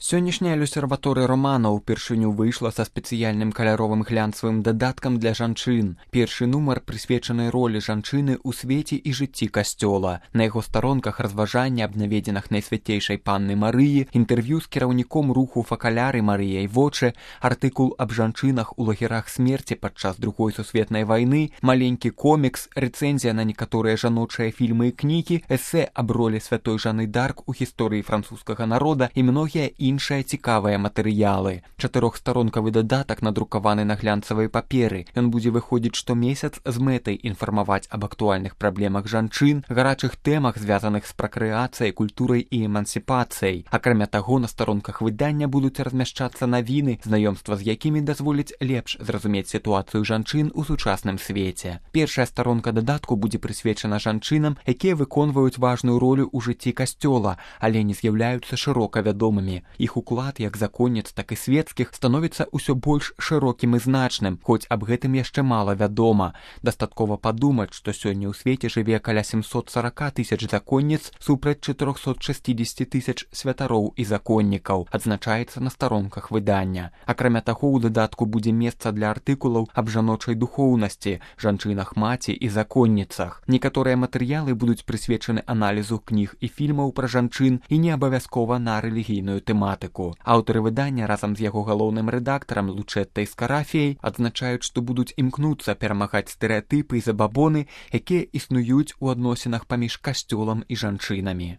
Сённяшняя люсерваторыя романа ўпершыню выйшла са спецыяльным каляровым глянцавым дадаткам для жанчын. Першы нумар прысвечаны ролі жанчыны ў свеце і жыцці касцёла. На яго старонках разважанні аб наведзінах Найсвяцейшай Панны Марыі, інтэрв'ю з кіраўніком руху факаляры Марыяй Вочы, артыкул аб жанчынах у лагерах смерці падчас Другой сусветнай вайны, маленькі комікс, рэцэнзія на некаторыя жаночыя фільмы і кнігі, эсэ аб ролі святой Жанны Дарк у гісторыі французскага народа і многія іншыя цікавыя матэрыялы. Чатырохстаронкавы дадатак надрукаваны на глянцавай паперы. Ён будзе выходзіць штомесяц з мэтай інфармаваць аб актуальных праблемах жанчын, гарачых тэмах, звязаных з пракрэацыяй, культурай і эмансіпацыяй. Акрамя таго, на старонках выдання будуць размяшчацца навіны, знаёмства з якімі дазволіць лепш зразумець сітуацыю жанчын у сучасным свеце. Першая старонка дадатку будзе прысвечана жанчынам, якія выконваюць важную ролю ў жыцці касцёла, але не з'яўляюцца шырока вядомымі. Іх уклад як законніц, так і свецкіх становіцца ўсё больш шырокім і значным, хоць аб гэтым яшчэ мала вядома. Дастаткова падумаць, што сёння ў свеце жыве каля 740 тысяч законніц супраць 460 тысяч святароў і законнікаў, адзначаецца на старонках выдання. Акрамя таго, у дадатку будзе месца для артыкулаў аб жаночай духоўнасці, жанчынах маці і законніцах. Некаторыя матэрыялы будуць прысвечаны аналізу кніг і фільмаў пра жанчын і не абавязкова на рэлігійную тэматыку. Аўтары выдання разам з яго галоўным рэдактарам Лучэттай Скарафіяй адзначаюць, што будуць імкнуцца перамагаць стэрэатыпы і забабоны, якія існуюць у адносінах паміж касцёлам і жанчынамі.